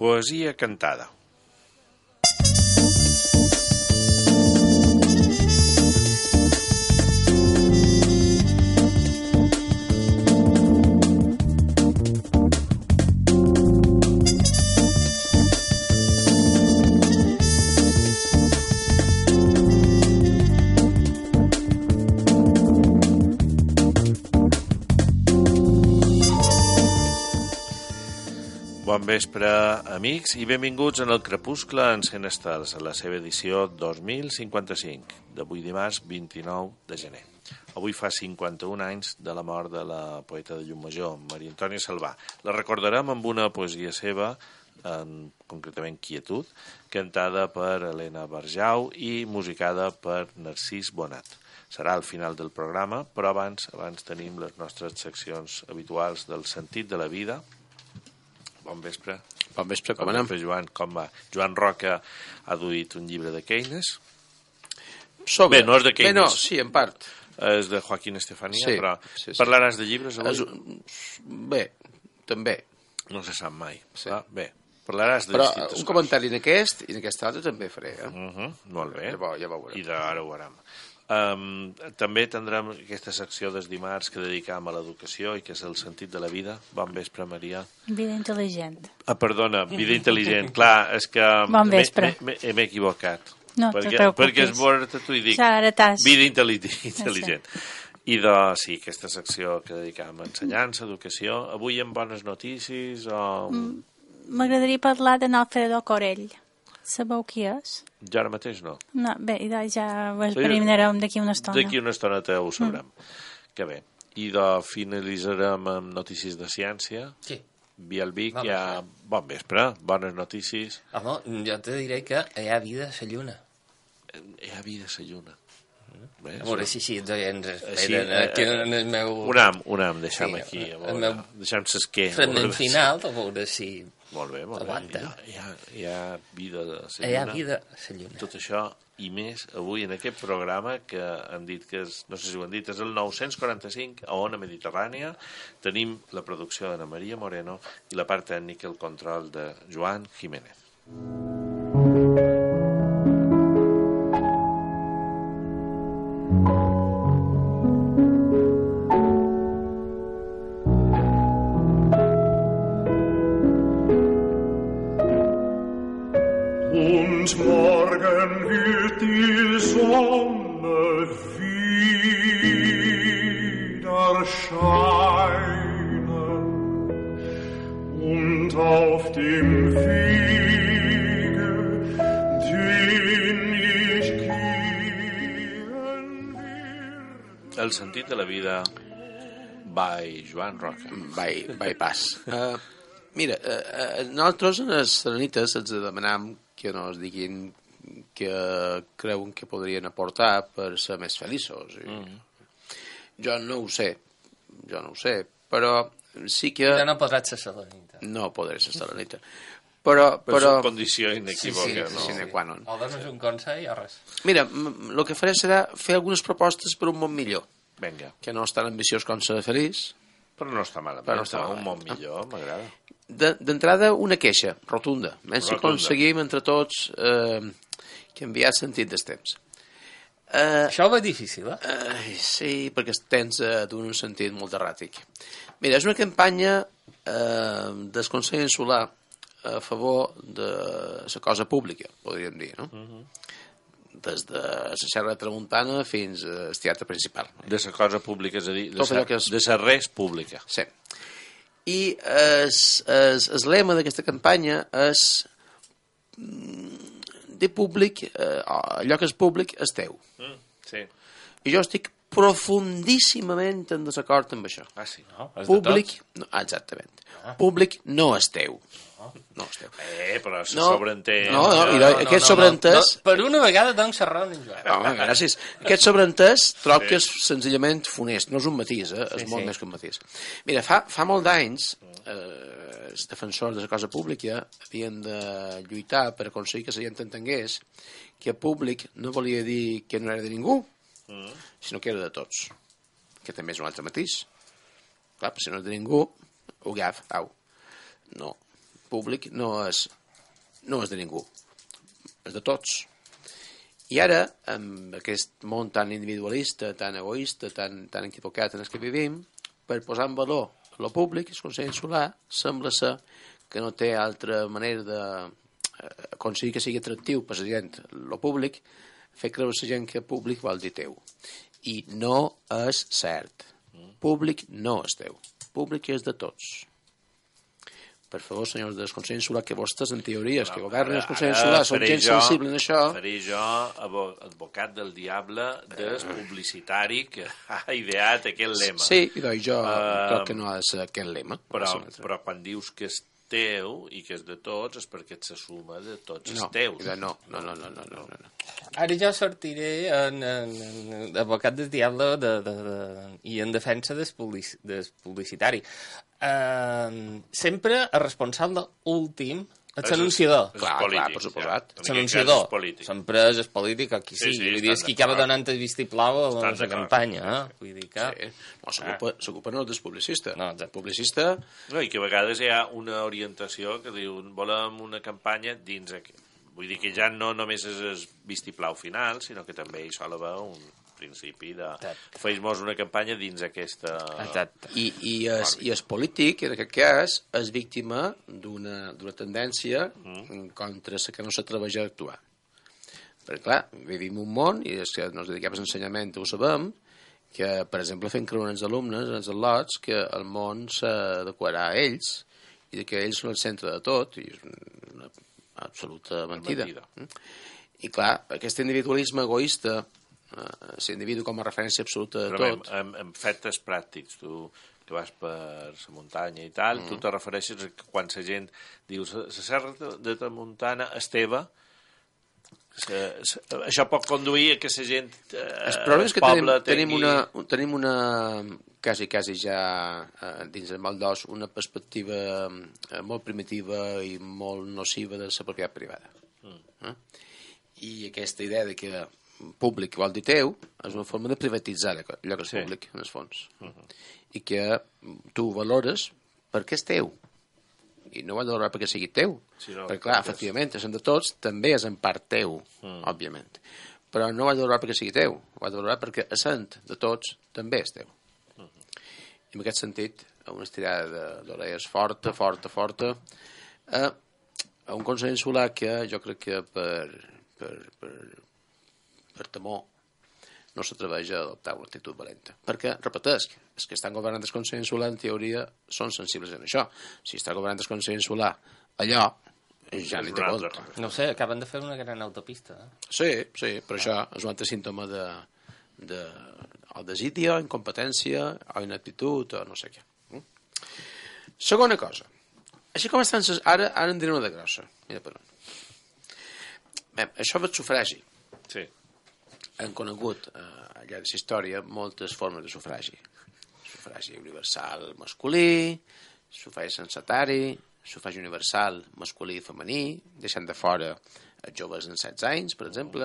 Poesia cantada. Bon vespre, amics, i benvinguts en el Crepuscle encén estels, a la seva edició 2055, d'avui dimarts 29 de gener. Avui fa 51 anys de la mort de la poeta de Llucmajor, Maria Antònia Salvà. La recordarem amb una poesia seva, concretament Quietud, cantada per Helena Barjau i musicada per Narcís Bonat. Serà al final del programa, però abans tenim les nostres seccions habituals del sentit de la vida. Bon vespre. Bon vespre, com anem? Joan, com va? Joan Roca ha duit un llibre de Keynes. Bé, no és de Keynes. Bé, no, sí, en part. És de Joaquín Estefanía, sí, però sí. Parlaràs de llibres avui? Bé, també. No se sap mai. Sí. Bé, parlaràs de però distintes coses. Un comentari en aquest i en aquest altre també faré. Molt bé. Ja veurem. I ara ho veurem. També tindrem aquesta secció dels dimarts que dedicam a l'educació i que és el sentit de la vida. Bon vespre, Maria. Vida intel·ligent. Perdona, vida intel·ligent. Clar, és que bon vespre. M'he equivocat. No te preocupis. Perquè és bo, t'ho dic. Vida intel·ligent. I sí, aquesta secció que dedicam a ensenyança, educació. Avui amb bones notícies o... M'agradaria parlar de Alfredo Corell. Sabeu qui és? Jo ara mateix no. No, bé, ja ho esbriminarem d'aquí una estona. D'aquí una estona ho sabrem. Que bé. I finalitzarem amb notícies de ciència. Sí. Via el Vic, ja... Bon vespre, bones notícies. Home, jo te diré que hi ha vida a la lluna. Hi ha vida a la lluna. A veure si ens esperen aquí en el meu... Un am, deixem aquí. Deixem s'esquer. Fragment final, a veure si... Molt bé. Hi ha vida a la lluna. Hi ha vida a la lluna. Tot això i més avui en aquest programa que han dit que és, no sé si ho han dit, és el 945 a Ona Mediterrània. Tenim la producció d'Anna Maria Moreno i la part tècnica, el control de Joan Jiménez. Und morgen wird die Sonne wieder scheinen und auf dem Wege, den ich gehen will. El sentit de la vida by Joan Roca. By pas. Mira, nosaltres en les serenites ens demanam que nos diguin que creuen que podrien aportar per ser més feliços. Jo no ho sé, però sí que... Ja no podràs ser serenita. No podré ser serenita. Però és una condició inequívoca. Sí, sine qua non. O dones un consell o res. Mira, el que faré serà fer algunes propostes per un món millor. Vinga. Que no és tan ambiciós com ser feliç. Però no està malament. Un món millor, m'agrada. D'entrada, una queixa rotunda. Si aconseguim entre tots canviar el sentit dels temps. Això va difícil, sí, perquè tens d'un sentit molt erràtic. Mira, és una campanya del Consell Insular a favor de la cosa pública, podríem dir, no? Des de la Serra de Tramuntana fins al teatre principal. De la cosa pública, és a dir, de la res pública. Sí. I el lema d'aquesta campanya és de públic, allò que és públic és teu. Sí. I jo estic profundíssimament en desacord amb això. Sí. No, és públic, de tots. No, exactament. Públic no és teu. No és teu. Però se sobreentén... No, aquest sobreentès... Per una vegada doncs raó en Joan. Home, gràcies. Aquest sobreentès trob que és senzillament funest. No és un matís, és molt més que un matís. Mira, fa molt d'anys els defensors de la cosa pública havien de lluitar per aconseguir que la gent entengués que públic no volia dir que no era de ningú, sinó que era de tots. Que també és un altre matís. Clar, si no és de ningú, ho agaf, au. No. públic no és de ningú, és de tots. I ara, amb aquest món tan individualista, tan egoista, tan equivocat en el que vivim, per posar en valor el públic, el Consell Insular sembla ser que no té altra manera d'aconseguir que sigui atractiu per la gent, el públic, fer creure la gent que públic vol dir teu. I no és cert. Públic no és teu. Públic és de tots. Per favor, senyors del Consell Insular, que vostès, en teories, que governen el Consell Insular, són gent sensible en això. Faré jo advocat del diable del publicitari que ha ideat aquest lema. Sí, i jo crec que no és aquest lema. Però quan dius que és teu i que és de tots és perquè ets la suma de tots els teus. No. Ara jo sortiré en advocat del diable i en defensa del publicitari. Sempre el responsable últim és l'anunciador. Clar, per suposat. L'anunciador. Sempre és el polític, qui sigui. Vull dir, és qui acaba donant el vistiplau a la campanya. Vull dir que... No, s'ocupa no del publicista. No, del publicista... No, i que a vegades hi ha una orientació que diu volem una campanya dins... Vull dir que ja no només és el vistiplau final, sinó que també hi sol haver un principi de fer-nos una campanya dins aquesta... Exacte. I el polític, en aquest cas, és víctima d'una tendència contra la que no s'atreveix a actuar. Perquè, clar, vivim un món, i és que ens dediquem a l'ensenyament, ho sabem, que, per exemple, fent creure als alumnes, als al·lots, que el món s'adequarà a ells, i que ells són el centre de tot, i és una absoluta mentida. I, clar, aquest individualisme egoista, l'individu com a referència absoluta de tot... Però en fets pràctics, tu que vas per la muntanya i tal, tu te refereixes a que quan la gent diu la serra de Tramuntana és teva, això pot conduir a que la gent... El problema és que tenim una quasi ja dins el mal d'os, una perspectiva molt primitiva i molt nociva de la propietat privada. I aquesta idea de que públic vol dir teu és una forma de privatitzar allò que és públic, en el fons. I que tu valores perquè és teu. I no ho has de valorar perquè sigui teu. Perquè, clar, efectivament, és de tots, també és en part teu, òbviament. Però no ho has de valorar perquè sigui teu. Ho has de valorar perquè essent de tots també és teu. I en aquest sentit, una estirada d'orelles forta, a un Consell Insular que jo crec que per temor no s'atreveix a adoptar una actitud valenta. Perquè, repetesc, els que estan governant el Consell Insular en teoria són sensibles en això. Si està governant el Consell Insular allò, ja n'hi té volta. No sé, acaben de fer una gran autopista. Sí, però això és un altre símptoma o desídia, incompetència, o inaptitud, o no sé què. Segona cosa. Així com estan... Ara en diré una de grossa. Mira per on. Això del sufragi. Sí. Han conegut al llarg de la història moltes formes de sufragi. Sufragi universal masculí, sufragi censatari, sufragi universal masculí i femení, deixant de fora els joves en 16 anys, per exemple.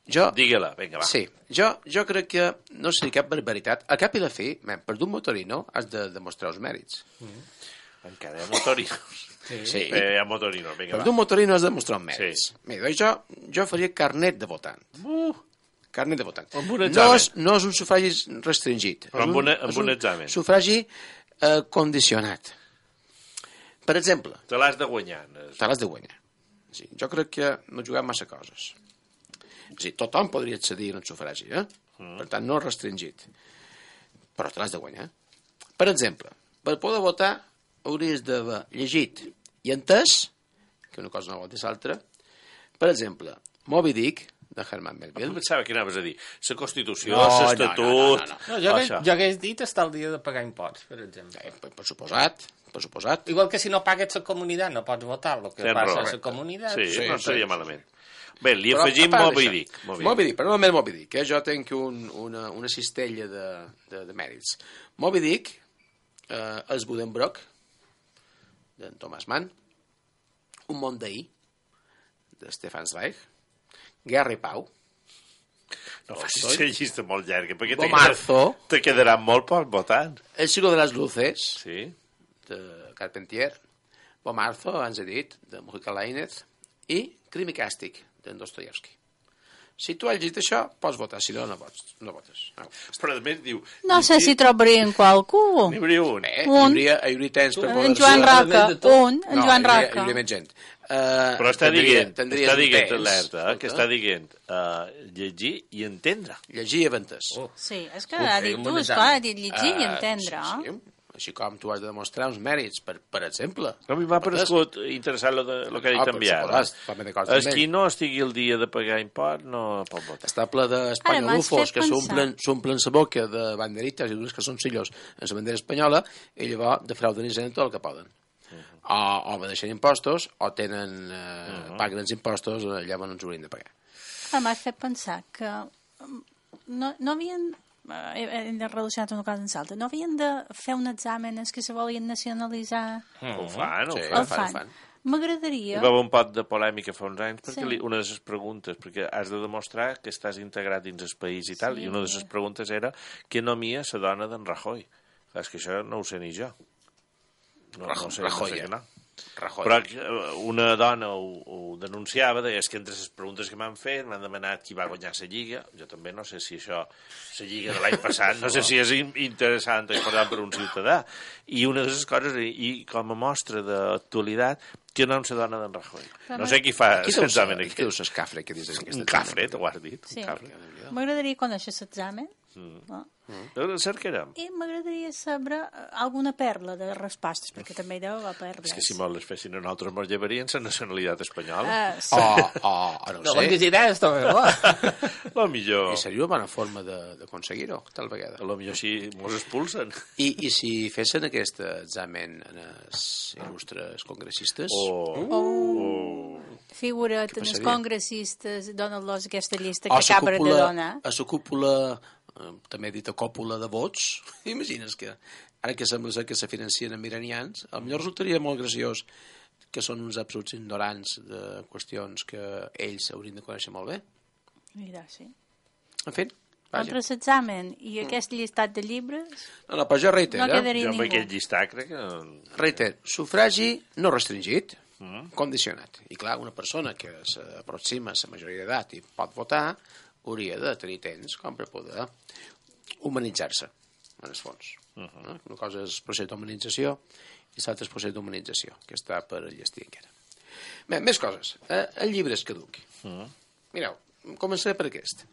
Digue-la, vinga, va. Sí, jo crec que no seria cap barbaritat. A cap i la fi, per d'un motorino has de demostrar els mèrits. Encara hi ha motorinos. Sí. Hi ha motorinos, vinga, va. Per d'un motorino has de demostrar els mèrits. Sí. Mira, jo faria carnet de votant. Carnet de votant. Amb un examen. No és un sufragi restringit. Però amb un examen. Sufragi condicionat. Per exemple... Te l'has de guanyar. Te l'has de guanyar. Sí, jo crec que no juguem massa coses. Sí, tothom podria accedir al sufragi, Per tant, no restringit. Però te l'has de guanyar. Per exemple, per poder votar hauries d'haver llegit i entès, que una cosa no vol dir l'altra, per exemple, Moby Dick, de Herman Melville. Em pensava que anaves a dir la Constitució, l'Estatut... No. Jo hagués dit estar el dia de pagar imposts, per exemple. Per suposat. Igual que si no pagues la comunitat no pots votar el que passa a la comunitat. Sí, no seria malament. Bé, li afegim Moby Dick. Moby Dick, però no només Moby Dick. Jo tenc una cistella de mèrits. Moby Dick, els Buddenbrook, d'en Thomas Mann, Un món d'ahir, de Stefan Zweig, Guerra i Pau, No facis una llista molt llarga, perquè Marzo. te quedaran molt pocs votants. El siglo de las luces, Sí. de Carpentier, Marzo, abans he dit, de Mujica Lainez, i Crim i Càstig, d'en Dostoyevsky. Si tu has llegit això, pots votar, si no, no votes. No. Però a més diu... No sé si trobarien qualcú. N'hi hauria un. Hi hauria temps per poder... En Joan Roca, en Joan Roca. Hi hauria més gent. Però està dient alerta, que escolta. està dient llegir i entendre. Llegir i aventès. Sí, és que ha dit tu, esclar, ha dit llegir i entendre. Sí. Així com tu has de demostrar uns mèrits, per exemple. A mi m'ha paregut interessant el que ha dit en Biar. El qui no estigui al dia de pagar import no pot votar. Està ple d'espanyolufos que s'omplen la boca de banderites i d'unes que són sillos en la bandera espanyola i llavors defrauden i tot el que poden. O obedeixen impostos o paguen els impostos allà on ens haurien de pagar. M'ha fet pensar que no havien... hem de relacionar una cosa amb l'altra. No havien de fer un examen que se volien nacionalitzar? Ho fan. El fan. M'agradaria... Hi va haver un pot de polèmica fa uns anys perquè una de les preguntes, perquè has de demostrar que estàs integrat dins el país i tal, i una de les preguntes era què nomia la dona d'en Rajoy. És que això no ho sé ni jo. No sé que no. Però una dona ho denunciava, deia que entre les preguntes que m'han fet m'han demanat qui va guanyar la Lliga. Jo també no sé si això, la Lliga de l'any passat, no sé si és interessant o important per un ciutadà. I una de les coses, i com a mostra d'actualitat, que no la dona d'en Rajoy. No sé qui fa l'examen aquí. Qui dius l'escafre que dius aquest examen? Un cafre, t'ho has dit. Sí. M'agradaria conèixer l'examen. Cercarem. I m'agradaria saber alguna perla de respostes, perquè també hi deu haver perles. És que si molt les fessin a nosaltres ens llevarien la nacionalitat espanyola. Sí. No sé. Quantes idees, també, Lo millor... I seria una bona forma d'aconseguir-ho, tal vegada. Lo millor si mos expulsen. I si fessin aquest examen en els il·lustres congressistes... Figura't en els congressistes, donen-los aquesta llista que acaba de donar. A la cúpula... també he dit a còpula de vots, imagines que ara que sembla que se financien amb iranians, potser resultaria molt graciós que són uns absoluts ignorants de qüestions que ells haurien de conèixer molt bé. Mira, sí. En fi, vaja. Entre l'examen i aquest llistat de llibres... No, però jo reitero. No quedaria ningú. Jo amb aquest llistat crec que... Reitero, sufragi no restringit, condicionat. I clar, una persona que s'aproxima a la majoria d'edat i pot votar hauria de tenir temps com per poder humanitzar-se, en el fons. Una cosa és el procés d'humanització i l'altre és el procés d'humanització, que està per llestir encara. Bé, més coses. El llibre és caduc. Mireu, començaré per aquest.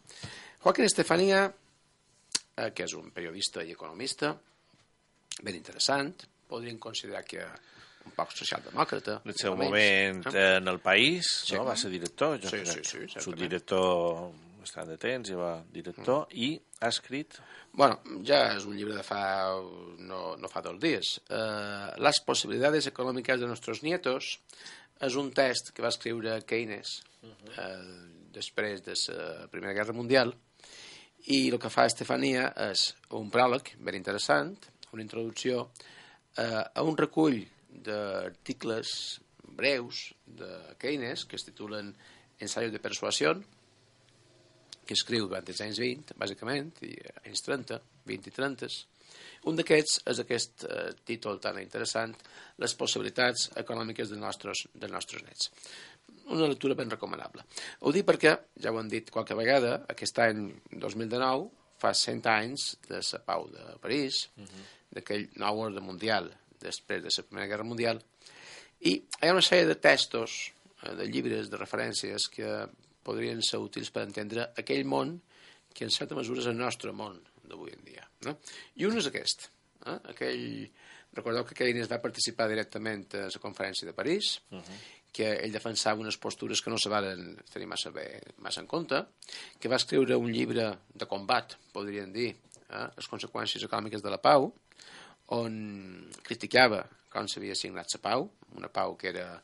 Joaquín Estefanía, que és un periodista i economista, ben interessant, podríem considerar que un poc socialdemòcrata. En el seu moment en El País, no? Va ser director. Sí. Subdirector bastant de temps, ja va director, i ha escrit... Bueno, ja és un llibre de no fa 2 dies. Las posibilidades econòmiques de nuestros nietos és un text que va escriure Keynes després de la Primera Guerra Mundial, i el que fa Estefanía és un pròleg ben interessant, una introducció a un recull d'articles breus de Keynes que es titulen Ensayos de persuasión, que escriu durant els anys 20, bàsicament, i anys 30, 20 i 30. Un d'aquests és aquest títol tan interessant, Les possibilitats econòmiques dels nostres nets. Una lectura ben recomanable. Ho dic perquè, ja ho hem dit qualque vegada, aquest any 2019 fa 100 anys de la pau de París, d'aquell nou ordre mundial després de la Primera Guerra Mundial, i hi ha una sèrie de textos, de llibres, de referències que podrien ser útils per entendre aquell món que en certa mesura és el nostre món d'avui en dia. No? I un és aquest. Recordeu que Keynes va participar directament a la conferència de París, que ell defensava unes postures que no se van tenir massa en compte, que va escriure un llibre de combat, podríem dir, les conseqüències econòmiques de la pau, on criticava com s'havia signat la pau, una pau que era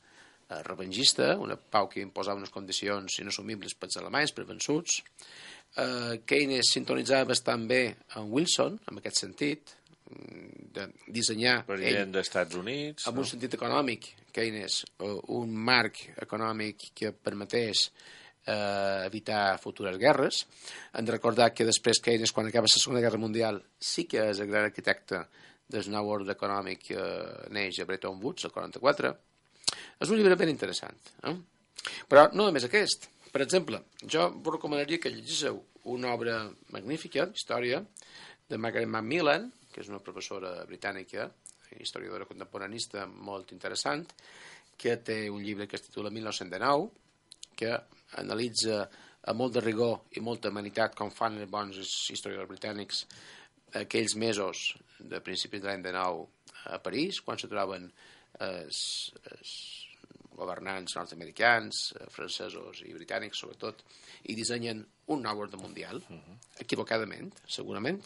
revengista, una pau que imposava unes condicions inassumibles pels alemanys, per vençuts. Keynes sintonitzava bastant bé amb Wilson, en aquest sentit, de dissenyar president dels Estats Units, amb un sentit econòmic, Keynes, un marc econòmic que permetés evitar futures guerres. Hem de recordar que després Keynes, quan acaba la Segona Guerra Mundial, sí que és el gran arquitecte del nou ordre econòmic que neix a Bretton Woods, el 44. És un llibre ben interessant. Però no només aquest. Per exemple, jo vos recomanaria que llegíssiu una obra magnífica d'història de Margaret Macmillan, que és una professora britànica, historiadora contemporanista molt interessant, que té un llibre que es titula 1919, que analitza amb molt de rigor i molta humanitat, com fan els bons historiadors britànics, aquells mesos de principis de l'any 19 a París, quan se troben els governants nord-americans, francesos i britànics, sobretot, i dissenyen un nou ordre mundial, equivocadament, segurament.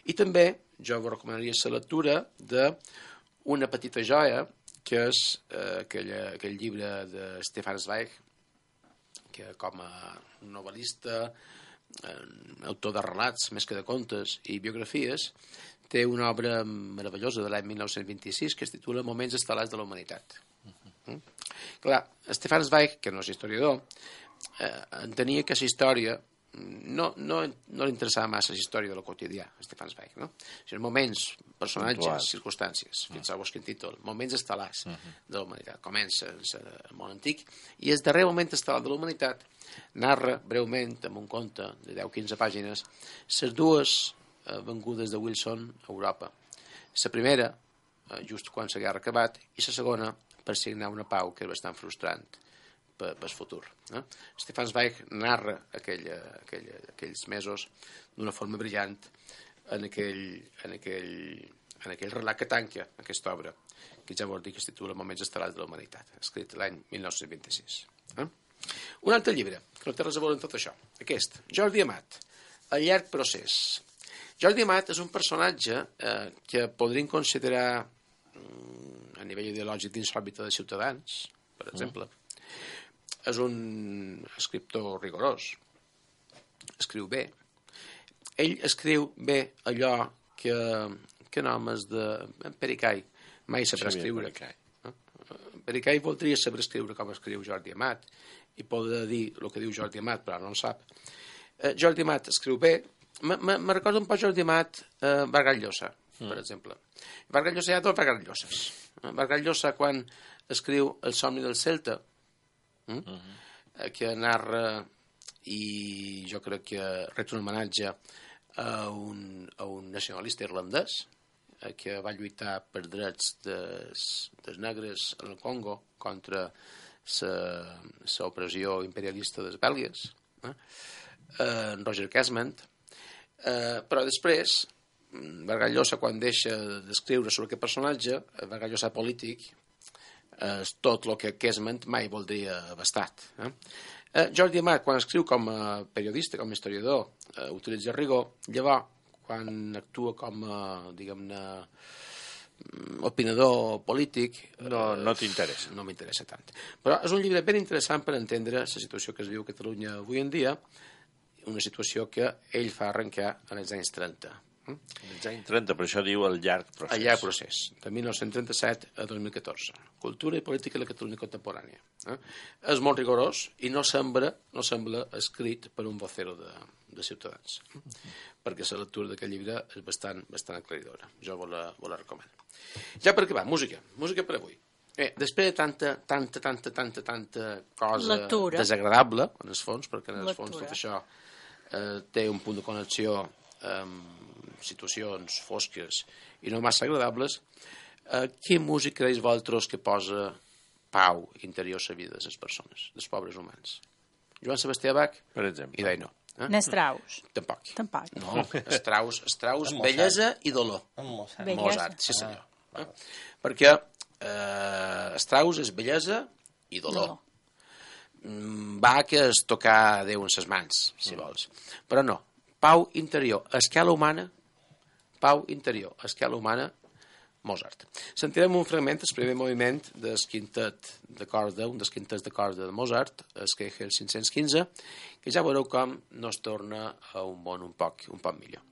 I també jo vos recomanaria la lectura d'una petita joia, que és aquell llibre de Stefan Zweig, que com a novel·lista, autor de relats més que de contes i biografies, té una obra meravellosa de l'any 1926 que es titula Moments estel·lars de la humanitat. Clar, Stefan Zweig, que no és historiador, entenia que la història no li interessava massa la història de lo quotidià, Stefan Zweig, no? O sigui, moments, personatges, circumstàncies, fixeu-vos quin títol, moments estel·lars de la humanitat. Comença el món antic i el darrer moment estel·lar de la humanitat narra breument, amb un conte de 10-15 pàgines, les dues vengudes de Wilson a Europa. La primera, just quan la guerra ha acabat, i la segona, per signar una pau que és bastant frustrant pel futur. Stefan Zweig narra aquells mesos d'una forma brillant en aquell relat que tanca aquesta obra, que ja vol dir que es titula Moments estel·lars de la humanitat, escrit l'any 1926. Un altre llibre, que no té res a veure amb tot això, aquest, Jordi Amat, El llarg procés. Jordi Amat és un personatge que podríem considerar a nivell ideològic dins l'òrbita de Ciutadans, per exemple. És un escriptor rigorós, escriu bé. Ell escriu bé allò que en homes de Pericai mai sabrà escriure. Pericai voldria saber escriure com escriu Jordi Amat i podrà dir el que diu Jordi Amat, però no en sap. Jordi Amat escriu bé. Me recorda un poc Jordi Amat Vargas Llosa, per exemple. Vargas Llosa hi ha dos Vargas Lloses. Vargas Llosa, quan escriu El somni del Celta, que narra, i jo crec que ret un homenatge a un nacionalista irlandès que va lluitar per drets dels negres en el Congo contra l'opressió imperialista dels belgues, Roger Casement. Però després Vargas Llosa, quan deixa d'escriure sobre aquest personatge, Vargas Llosa polític, és tot el que Casement mai voldria abastat. Jordi Amat, quan escriu com a periodista, com a historiador, utilitza rigor. Llavors, quan actua com a, diguem-ne, opinador polític... No t'interessa. No m'interessa tant. Però és un llibre ben interessant per entendre la situació que es viu a Catalunya avui en dia, una situació que ell fa arrencar en els anys 30. Els anys 30, per això diu El llarg procés. El llarg procés, de 1937 a 2014. Cultura i política de la Catalunya contemporània. És molt rigorós i no sembla escrit per un vocero de Ciutadans, perquè la lectura d'aquest llibre és bastant aclaridora. Jo vos la recomano. Ja per acabar, música per avui. Després de tanta cosa lectura desagradable, en el fons, perquè en el fons tot això té un punt de connexió amb situacions fosques i no massa agradables, quina música creus vosaltres que posa pau interior a la vida de les persones, dels pobres humans? Joan Sebastià Bach? Per exemple. I deia no. Strauss. Tampoc. No, Strauss, bellesa i dolor. Mozart, sí senyor. Perquè Strauss és bellesa i dolor. Bach és tocar Déu en ses mans, si vols. Però no, pau interior, a escala humana, Mozart. Sentirem un fragment, el primer moviment del quintet de corda, un dels quintets de corda de Mozart, el Kegel 515, que ja veureu com no es torna a un món un poc millor.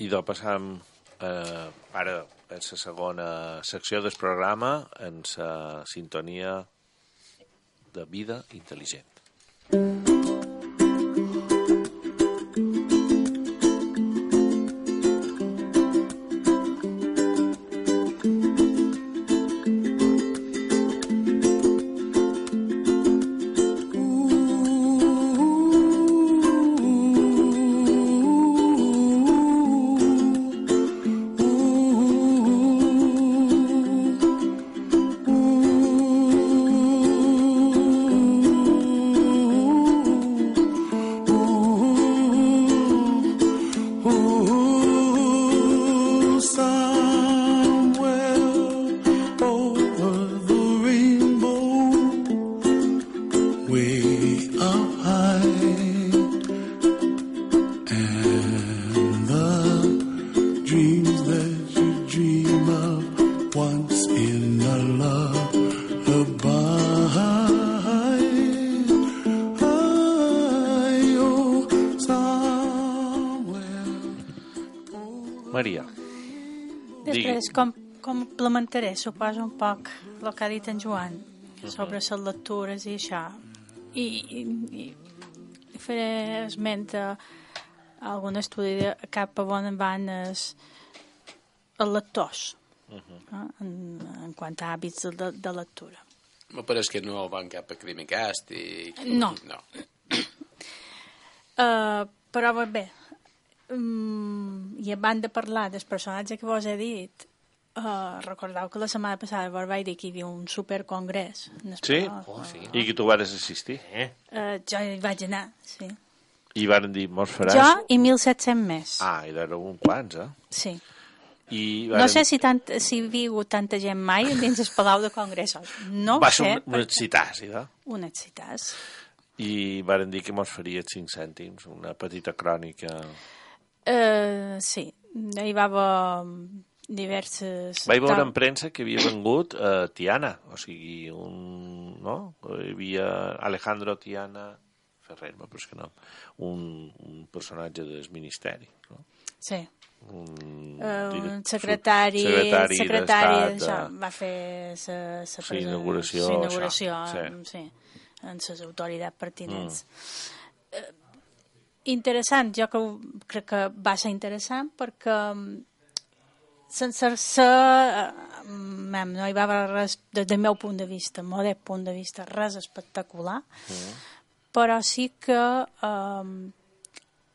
I passam ara en la segona secció del programa en la sintonia de vida intel·ligent. Maria. Després, com complementaré, suposo, un poc el que ha dit en Joan sobre les lectures i això. I faré esment a algun estudi de cap a on van els lectors en quant a hàbits de lectura. Me pareix que no van cap a Crimecast i... No. Però bé, i abans de parlar del personatge que vos he dit, recordeu que la setmana passada vos vaig dir que hi havia un supercongrés. Sí? Sí? I que tu vas assistir? Jo hi vaig anar, sí. I van dir, mos faràs... Jo i 1.700 més. Ah, i d'ara un quants, Sí. I no sé si hi havia hagut tanta gent mai dins el Palau de Congressos. No va sé. Va ser un excitàs, no? Un excitàs. I varen dir que mos faria 5 cèntims, una petita crònica... Sí, hi va haver diverses... Vaig veure en premsa que havia vengut Tiana, o sigui, no? Hi havia Alejandro Tiana Ferrer, però és que no, un personatge del Ministeri, no? Sí. Un secretari d'Estat, va fer la inauguració, sí, en les autoritats pertinents. Interessant, jo crec que va ser interessant perquè sense ser no hi va haver res, des del meu punt de vista, modest punt de vista, res espectacular, però sí que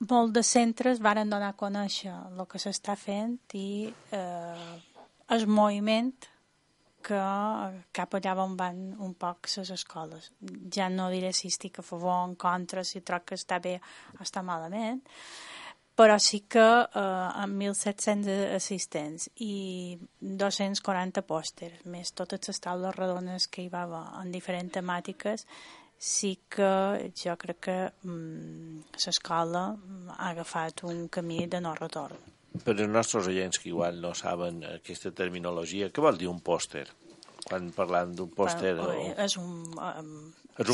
molts de centres varen donar a conèixer el que s'està fent i el moviment que cap allà on van un poc les escoles. Ja no diré si estic a favor o en contra, si troc que està bé o està malament, però sí que amb 1.700 assistents i 240 pòsters, més totes les taules redones que hi va haver en diferents temàtiques, sí que jo crec que l'escola ha agafat un camí de no retorn. Per als nostres oients que igual no saben aquesta terminologia, què vol dir un pòster? Quan parlant d'un pòster... És un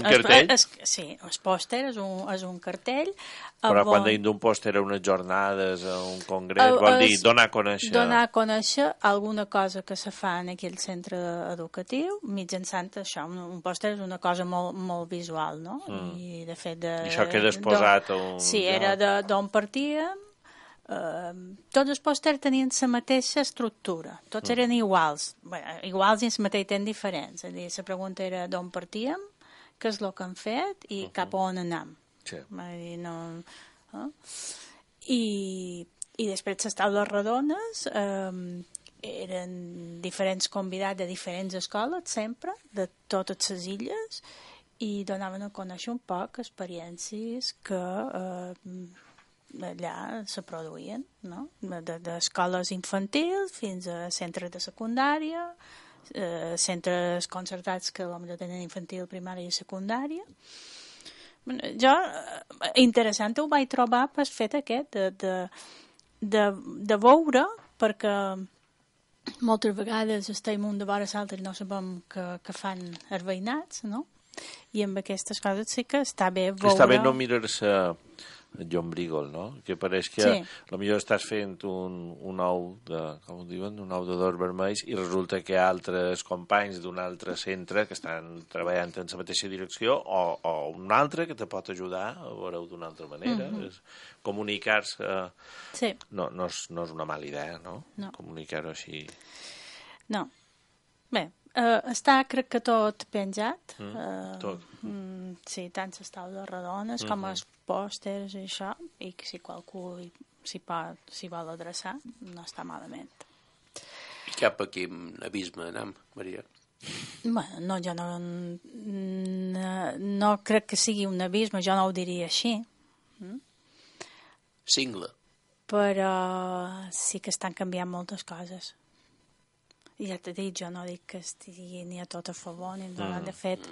cartell? Sí, el pòster és un cartell. Però quan diem d'un pòster a unes jornades, a un congrés, vol dir donar a conèixer... Donar a conèixer alguna cosa que se fa en aquell centre educatiu, mitjançant això. Un pòster és una cosa molt, molt visual, no? I de fet... I això queda exposat a un... Sí, era d'on partíem. Tots els pòsters tenien la mateixa estructura, tots eren iguals, iguals i el mateix temps diferents. És a dir, la pregunta era d'on partíem, què és el que hem fet i cap a on anem. Sí. I després les taules redones eren diferents convidats de diferents escoles, sempre, de totes les illes, i donaven a conèixer un poc experiències que allà se produïen, no? D'escoles infantils fins a centres de secundària, centres concertats que potser tenen infantil, primària i secundària. Jo, interessant ho vaig trobar pel fet aquest de veure, perquè moltes vegades estem un de vora l'altre i no sabem que fan els veïnats, no? I amb aquestes coses sí que està bé veure... Està bé no mirar-se llombrígol, no? Que pareix que potser estàs fent un ou de, com ho diuen, un ou de dos vermells i resulta que hi ha altres companys d'un altre centre que estan treballant en la mateixa direcció o un altre que te pot ajudar a veure-ho d'una altra manera. Comunicar-se no és una mala idea, no? Comunicar-ho així. No. Bé, està, crec que tot penjat. Tot. Sí, tant les taules rodones com els pòsters i això, i que si qualcú s'hi vol adreçar, no està malament. I cap a quin abisme anem, Maria? Bueno, no, jo no crec que sigui un abisme, jo no ho diria així. Cingle. Però sí que estan canviant moltes coses. I ja t'he dit, jo no dic que estigui ni a tot a favor, ni de fet,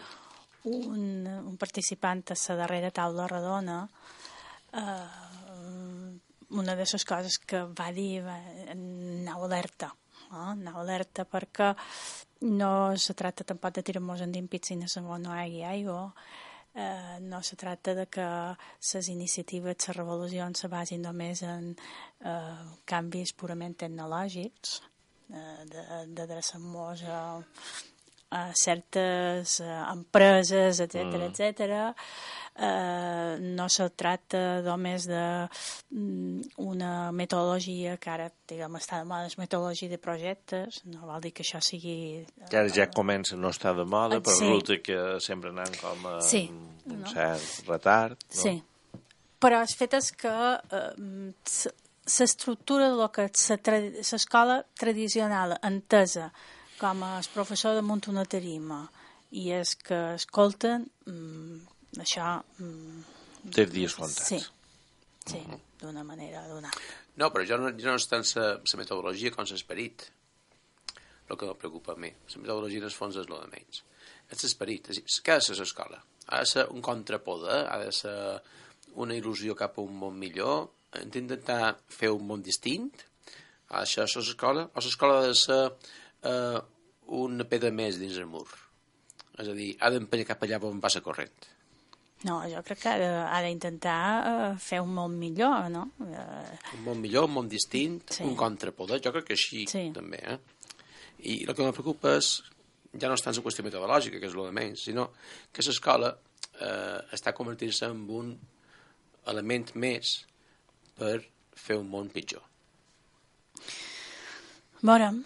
un participant a la darrera taula redona, una de les coses que va dir, anau alerta, anau alerta perquè no se tracta tampoc de tirar-nos endimpits si no hi hagi aigua, no se tracta de que les iniciatives, les revolucions se basin només en canvis purament tecnològics, d'adreçar-nos a certes empreses, etc. No se tracta només d'una metodologia que ara, diguem, està de moda, és metodologia de projectes, no vol dir que això sigui... Que ara ja comença a no estar de moda, però resulta que sempre anem com a un cert retard. No? Sí, però el fet és que l'estructura del que l'escola tradicional entesa com el professor damunt una tarima i és que escolten, això... Té dies comptats. Sí, d'una manera o d'una altra. No, però jo no és tant la metodologia com l'esperit el que em preocupa a mi. La metodologia, en el fons, és el de menys. És l'esperit. Què ha de ser l'escola? Ha de ser un contrapoder? Ha de ser una il·lusió cap a un món millor? Hem d'intentar fer un món distint? Això és l'escola? O l'escola ha de ser una pedra més dins el mur? És a dir, ha d'empènyer cap allà on passa corrent? No, jo crec que ha d'intentar fer un món millor, no? Un món millor, un món distint, un contrapoder, jo crec que així també, I el que em preocupa és, ja no és tant la qüestió metodològica, que és el de menys, sinó que l'escola està convertint-se en un element més per fer un món pitjor. Veurem,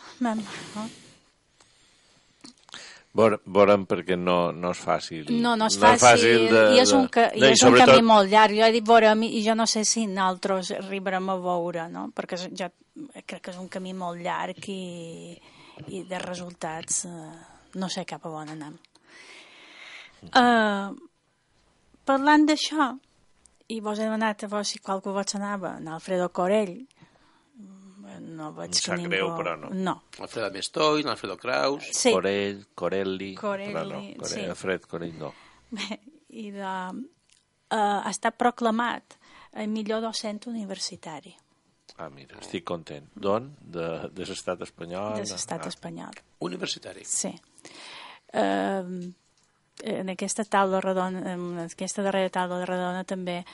Veurem perquè no és fàcil. No és fàcil i és un camí molt llarg. Jo he dit veurem i jo no sé si nosaltres arribarem a veure, no? Perquè jo crec que és un camí molt llarg i de resultats no sé cap a on anem. Parlant d'això, i vos he demanat a vos si qualcú vos anava, en Alfredo Corell, no veig que ningú... greu, però no. No. Alfredo Mestoy, Alfredo Kraus... Sí. Corelli, però no. Sí. Alfred Corell no. Bé, i ha estat proclamat el millor docent universitari. Ah, mira, estic content. D'on? De l'estat espanyol? De l'estat espanyol. Universitari? Sí. En aquesta taula redona, en aquesta darrera taula de redona també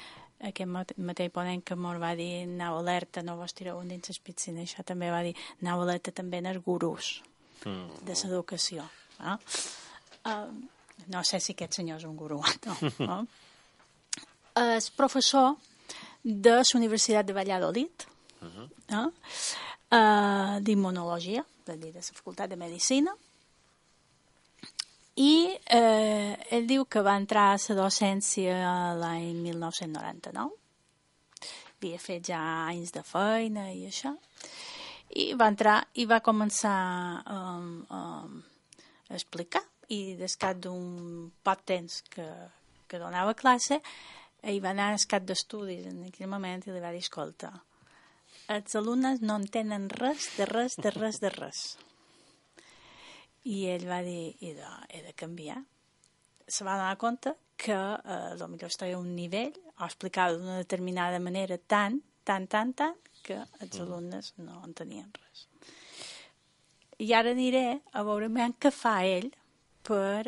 aquest mateix ponent que mos va dir anau alerta, no vos tireu un dins les piscines, això també va dir anau alerta també en els gurús de l'educació. No sé si aquest senyor és un gurú no? És professor de la Universitat de Valladolid d'immunologia, de la Facultat de Medicina, i ell diu que va entrar a la docència l'any 1999. Havia fet ja anys de feina i això. I va entrar i va començar a explicar, i des cap d'un poc temps que donava classe, hi va anar al cap d'estudis en aquell moment i li va dir, escolta, els alumnes no entenen res de res de res de res. I ell va dir, he de canviar. Se va donar compte que potser estava a un nivell o explicava d'una determinada manera tant que els alumnes no entenien res. I ara aniré a veure què fa ell per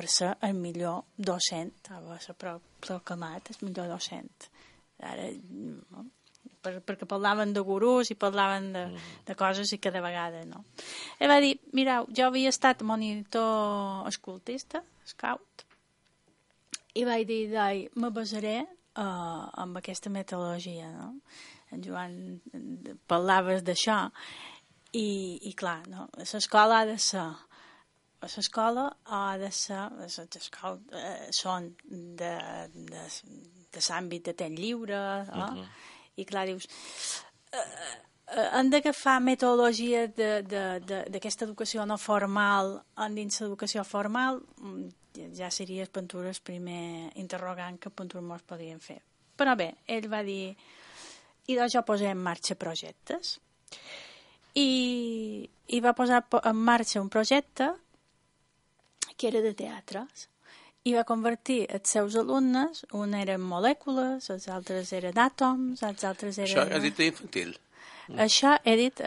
ser el millor docent, va ser proclamat el millor docent. Ara, no? Perquè parlaven de gurús i parlaven de coses i cada vegada, no? Ell va dir, mireu, jo havia estat monitor escoltista, scout, i vaig dir, me basaré amb aquesta metodologia, no? En Joan parlaves d'això i clar, no? L'escola ha de ser els scouts són de l'àmbit de temps lliure, no? I clar, dius, hem d'agafar metodologia d'aquesta educació no formal dins l'educació formal, ja seria Pentures primer interrogant que Pentures mos podien fer. Però bé, ell va dir, i doncs jo posé en marxa projectes. I va posar en marxa un projecte que era de teatres. I va convertir els seus alumnes, un eren molècules, els altres eren àtoms, els altres eren... Això he dit d'infantil. Això he dit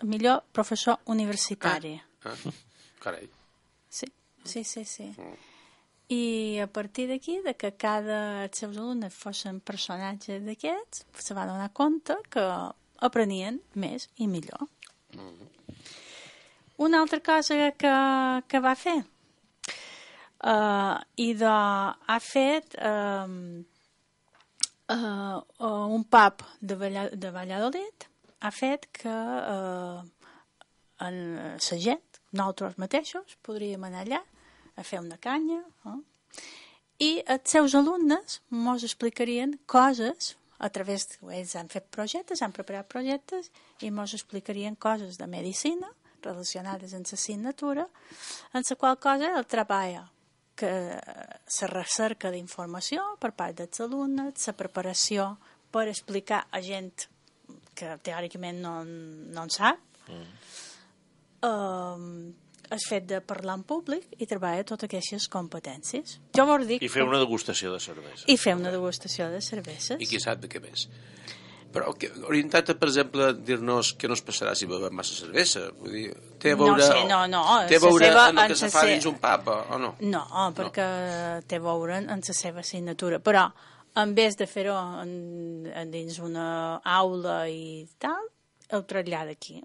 millor professor universitari. Carai. Sí. I a partir d'aquí, de que els seus alumnes fossin personatges d'aquests, se va donar compte que aprenien més i millor. Una altra cosa que va fer, ha fet un pub de Valladolid, ha fet que la gent, nosaltres mateixos, podríem anar allà a fer una canya, i els seus alumnes ens explicarien coses a través ells han fet projectes, han preparat projectes i ens explicarien coses de medicina relacionades amb l'assignatura, en la qual cosa el treball que la recerca d'informació per part dels alumnes, la preparació per explicar a gent que teòricament no en sap, el fet de parlar en públic i treballar totes aquestes competències. Jo vol dir I fer una degustació de cervesa. I fer una degustació de cerveses. I qui sap de què més. Però orientat a, per exemple, dir-nos què no es passarà si bevem massa cervesa. Vull dir, té a veure... No. Té a veure amb el que se fa dins un pub, o no? No, perquè té a veure en la seva assignatura. Però, en vez de fer-ho dins una aula i tal, ho trasllada aquí.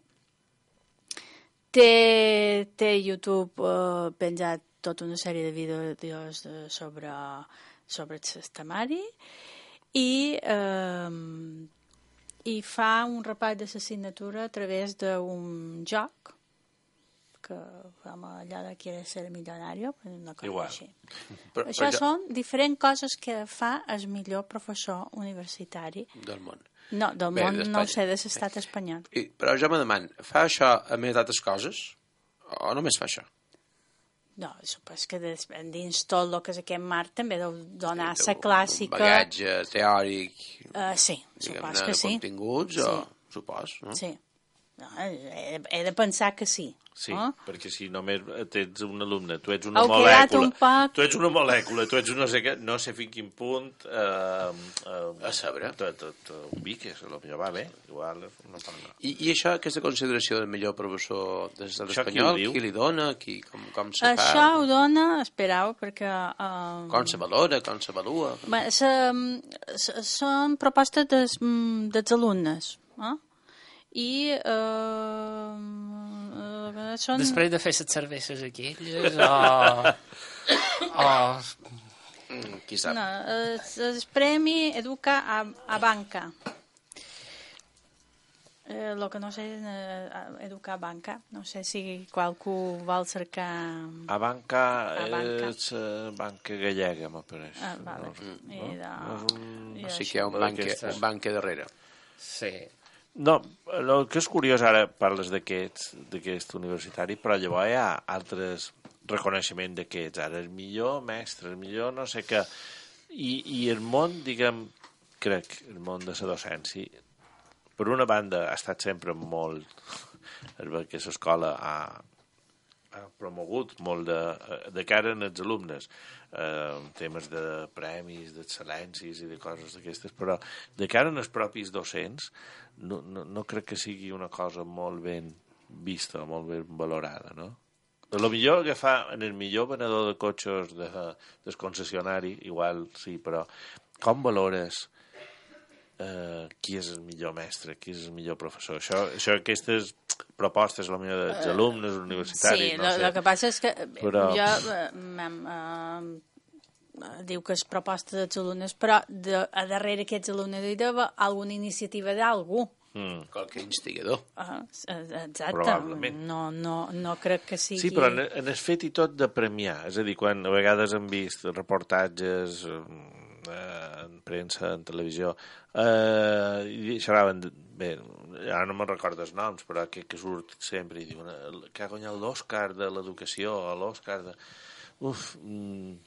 Té YouTube penjat tota una sèrie de vídeos sobre el sistemari i fa un repàs de l'assignatura a través d'un joc que allà de Quiere ser millonario, una cosa així. Això són diferents coses que fa el millor professor universitari del món. No, del món no ho sé, de l'estat espanyol. Però jo me demano, fa això a més d'altres coses o només fa això? No, supos que dins tot el que és aquest mar també deu donar la clàssica... Bagatge teòric... Sí, supos que sí. De continguts, supos, no? Sí. No, he de pensar que sí. Sí, perquè si només tens un alumne, tu ets una molècula, tu ets una molècula, tu ets un no sé què, no sé fins quin punt a saber. Ubiques, potser va bé, igual no parla. I això, aquesta consideració del millor professor de l'estat espanyol, qui li dona, com se fa? Això ho dona, esperau, perquè... Com se valora, com se valua? Són propostes dels alumnes, i són... Després de fer les cerveses aquelles qui sap? No, el premi educa a banca. El que no sé educar a banca. No sé si qualcú vol cercar... A banca és banca gallega, m'apareix. O sigui que hi ha un banca darrere. Sí. No, el que és curiós, ara parles d'aquest universitari, però llavors hi ha altres reconeixements d'aquests. Ara el millor mestre, el millor no sé què. I el món, diguem, crec, el món de la docència, per una banda ha estat sempre molt... que l'escola ha promogut molt de cara als alumnes, temes de premis, d'excel·lències i de coses d'aquestes, però de cara als propis docents no crec que sigui una cosa molt ben vista, molt ben valorada, no? El millor que fa en el millor venedor de cotxes del concessionari, igual sí, però com valores qui és el millor mestre, qui és el millor professor? Això aquestes propostes, la millor dels alumnes universitaris, sí, no sé. Sí, el que passa és que però... jo diu que és proposta dels alumnes, però a darrere aquests alumnes hi deu alguna iniciativa d'algú. Qualque instigador. Exacte. Probablement. No crec que sigui... Sí, però en el fet i tot de premiar, és a dir, quan a vegades hem vist reportatges en premsa, en televisió, i xerraven, bé, ara no me'n recordo els noms, però que surt sempre i diuen que ha guanyat l'Òscar de l'educació, l'Òscar de...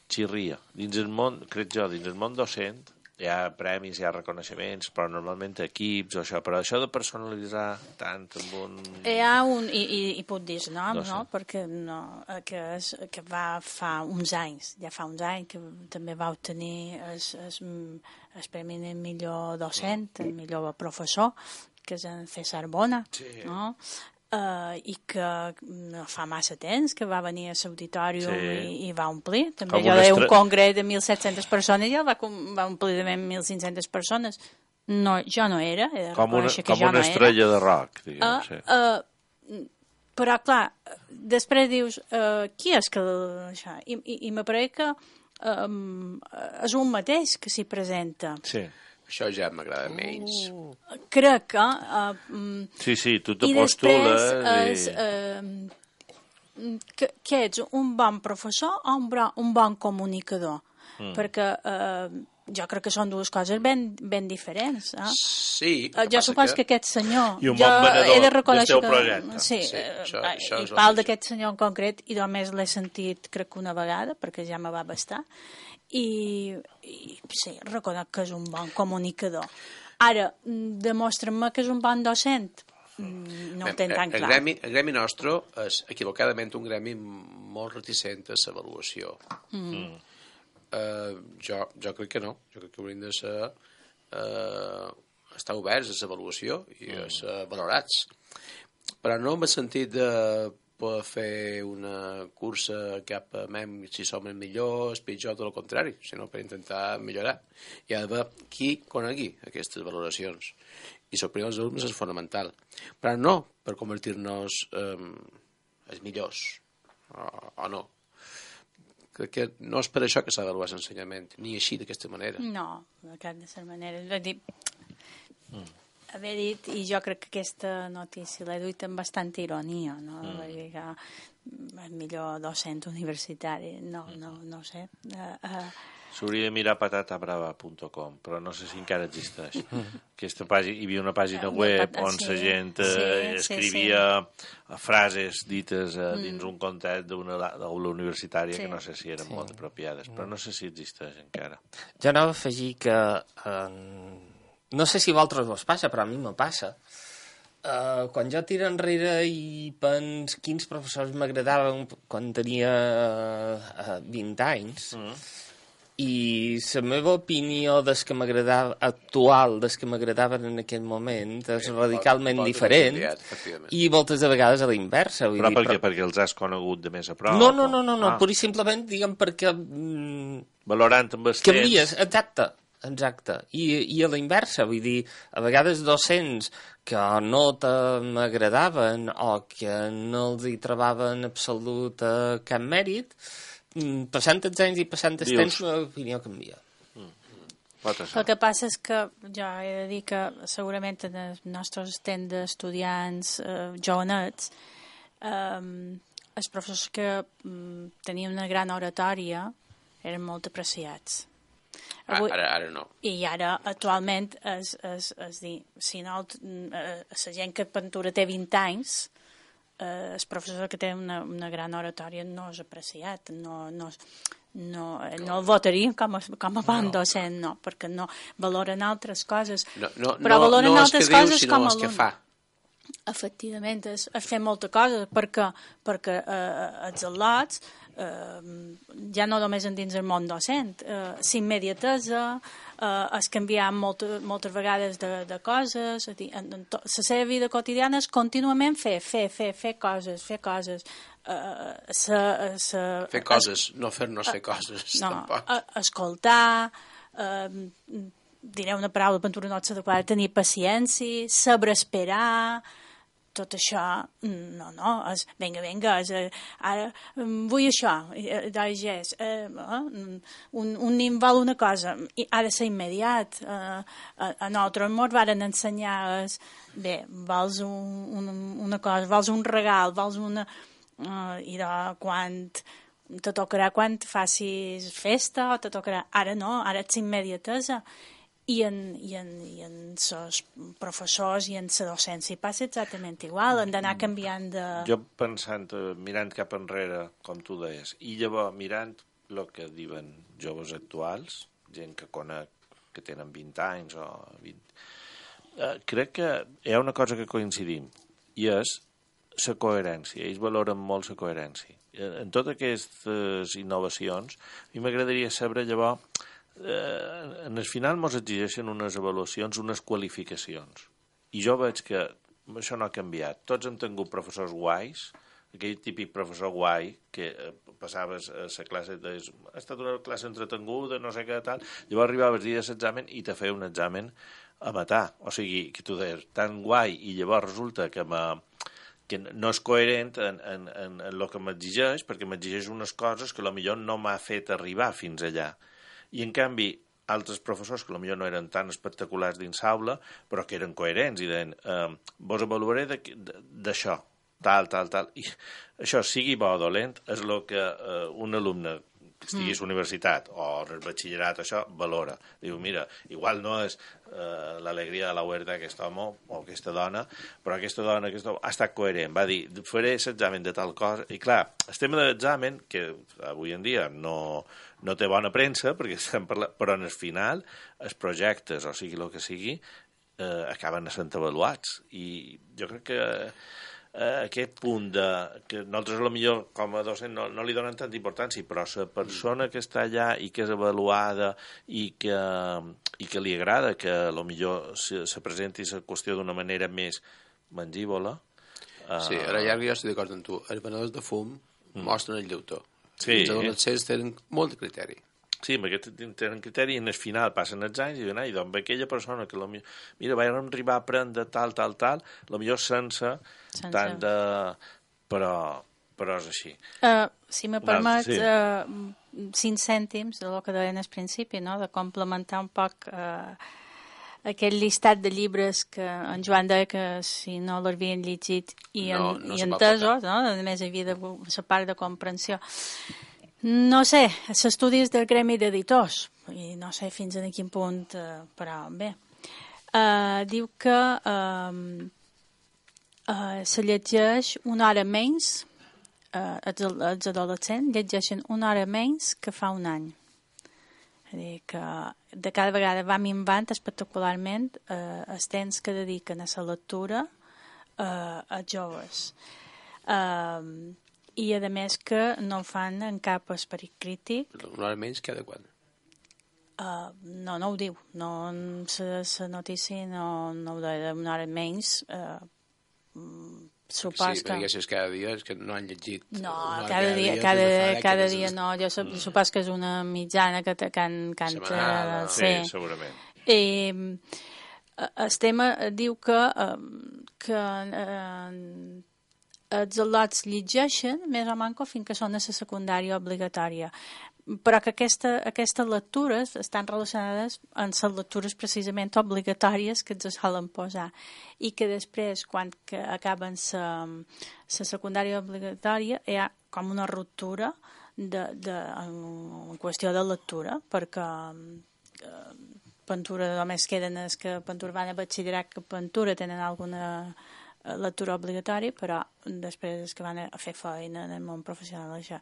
xirria. Dins el món, crec jo, dins el món docent, hi ha premis, hi ha reconeixements, però normalment equips o això, però això de personalitzar tant amb un... Hi ha un, i puc dir nom, no? Perquè que va fa uns anys, ja fa uns anys, que també va obtenir el premi de millor docent, el millor professor, que és en César Bona, no? I que no fa massa temps que va venir a l'auditori i va omplir. També jo deia un congrés de 1.700 persones i el va omplir de 1.500 persones. No, jo no era, he de reconèixer que jo no era. Com una estrella de rock, diguem. Però, clar, després dius, qui és que... Això? I me pareix que és un mateix que s'hi presenta. Sí. Això ja m'agrada menys. Crec que... Sí, tu te postules... que ets un bon professor o un bon comunicador? Perquè jo crec que són dues coses ben diferents. Sí. Jo suposo que aquest senyor... I un bon venedor del teu projecte. Sí, i parlo d'aquest senyor en concret i només l'he sentit crec que una vegada, perquè ja me va bastar. I sí, reconec que és un bon comunicador. Ara, demostra'm que és un bon docent. No ho tenc tan clar. El gremi nostre és equivocadament un gremi molt reticent a l'avaluació. Jo crec que no. Jo crec que hauríem de ser estar oberts a l'avaluació i a ser valorats. Però no m'he sentit de poder fer una cursa cap a si som el millor, el pitjor, tot el contrari, sinó per intentar millorar. Hi ha d'haver qui conegui aquestes valoracions. I sorprendre els alumnes és fonamental. Però no per convertir-nos els millors, o no. Crec que no és per això que s'ha d'avaluar l'ensenyament, ni així, d'aquesta manera. No, de cap de la manera. És a dir, haver dit, i jo crec que aquesta notícia l'he duit amb bastanta ironia, no? El millor docent universitari, no sé. S'hauria de mirar patatabrava.com, però no sé si encara existeix. Aquesta pàgina, hi havia una pàgina web on la gent escrivia frases dites dins un context d'una aula universitària que no sé si eren molt apropiades, però no sé si existeix encara. Jo anava a afegir que no sé si a vosaltres us passa, però a mi me passa. Quan jo tiro enrere i pens quins professors m'agradaven quan tenia 20 anys, i la meva opinió des que m'agradava actual, des que m'agradaven en aquell moment, és radicalment diferent, i moltes de vegades a la inversa. Però perquè els has conegut de més a prop? No, pur i simplement, diguem, perquè... Valorant amb els canvies, exacte. I a la inversa, vull dir, a vegades docents que no m'agradaven o que no els hi trobaven absolut cap mèrit, passant els anys i passant el temps, l'opinió canvia. El que passa és que jo he de dir que segurament en els nostres temps d'estudiants jovenets els professors que tenien una gran oratòria eren molt apreciats. Ara no. I ara, actualment, és dir, si no, la gent que pintura té 20 anys, el professor que té una gran oratòria no és apreciat, no el votaria com a bon docent, no, perquè no valoren altres coses, però valoren altres coses com a alumne. Fa. Efectivament, és fer molta cosa, perquè els al·lots ja no només dins el món docent, s'immediatesa, es canviar moltes vegades de coses, la seva vida quotidiana és contínuament fer coses. Fer coses, no fer-nos fer coses, tampoc. Escoltar, diré una paraula, pintura no és adequada, tenir paciència, saber esperar, tot això, no, és, vinga, ara vull això, un nin vol una cosa, ha de ser immediat. A nosaltres ens varen ensenyar, vols una cosa, vols un regal, vols una... I quan te tocarà quan facis festa, o te tocarà... Ara no, ara ets immediatesa. I en els professors i en la docència passa exactament igual, han d'anar canviant de... Jo pensant, mirant cap enrere, com tu deies, i llavors mirant el que diuen joves actuals, gent que conec que tenen 20 anys o 20... crec que hi ha una cosa que coincidim, i és la coherència. Ells valoren molt la coherència. En totes aquestes innovacions, a mi m'agradaria saber llavors en el final ens exigeixen unes avaluacions, unes qualificacions. I jo veig que això no ha canviat. Tots hem tingut professors guais, aquell típic professor guai que passaves a la classe, ha estat una classe entretenguda, no sé què tal, llavors arribaves el dia de l'examen i te feia un examen a matar. O sigui, que tu deies, tan guai, i llavors resulta que no és coherent en el que m'exigeix, perquè m'exigeix unes coses que potser no m'ha fet arribar fins allà. I, en canvi, altres professors que potser no eren tan espectaculars dins l'aula, però que eren coherents i deien, vos avaluaré d'això, tal. I això, sigui bo o dolent, és el que un alumne que estigui a la universitat o al batxillerat, això, valora. Diu, mira, igual no és l'alegria de la huerta d'aquest home o aquesta dona, però aquesta dona ha estat coherent. Va dir, faré l'examen de tal cosa. I clar, el tema de l'examen, que avui en dia no té bona premsa, perquè estem parlant, però en el final, els projectes, o sigui el que sigui, acaben sent avaluats. I jo crec que aquest punt que nosaltres potser com a docent no li donen tanta importància, però la persona que està allà i que és avaluada i que li agrada que potser se presenti la qüestió d'una manera més mangívola. Sí, ara ja jo estic d'acord amb tu. Els venedors de fum mostren el llautó. Sí. Els adolescents tenen molt de criteri. Sí, amb aquest tenen criteri i en el final passen els anys i diuen, doncs aquella persona que mira, vaig arribar a aprendre tal, potser sense tant de... Però és així. Si me permets, 5 cèntims del que deien al principi, no? De complementar un poc aquell llistat de llibres que en Joan deia que si no l'havien llegit i entesos, no? A més hi havia la part de comprensió. No sé, s'estudis del gremi d'editors, i no sé fins a quin punt, però bé. Diu que se llegeix una hora menys, els adolescents llegeixen una hora menys que fa un any. És a dir, que de cada vegada va minvant espectacularment els temps que dediquen a la lectura als joves. I a més que no ho fan en cap esperit crític. Una hora menys cada quan? No ho diu. No, la notícia no ho deia una hora menys. Supos sí, perquè si és cada dia és que no han llegit. No, cada dia no. Jo supos que és una mitjana que setmanal. Sí, segurament. El tema diu que els al·lots llegeixen més o manco fins que són a la secundària obligatòria. però que aquestes lectures estan relacionades amb les lectures precisament obligatòries que ens solen posar i que després, quan acaben la secundària obligatòria, hi ha com una ruptura en qüestió de lectura, perquè Pintura només queden els que Pintura van a batxillerat, que Pintura tenen alguna lectura obligatòria, però després els que van a fer feina en el món professional això.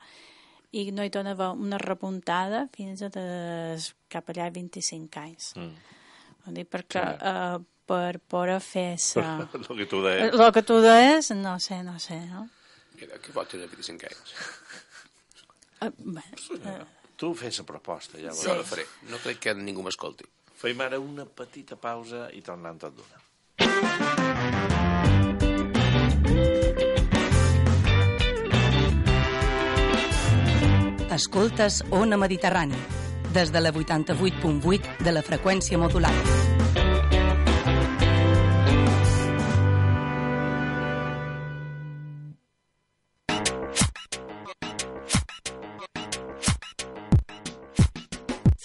I no hi torna a haver una repuntada fins a cap allà 25 anys. Vull dir, perquè per poder fer el que tu deies. El que tu deies, no sé, no? Mira, que pot tenir 25 anys. Tu fes la proposta, ja Jo la faré. No crec que ningú m'escolti. Fem ara una petita pausa i tornem tot d'una. Escoltes Ona Mediterrani, des de la 88.8 de la freqüència modulada.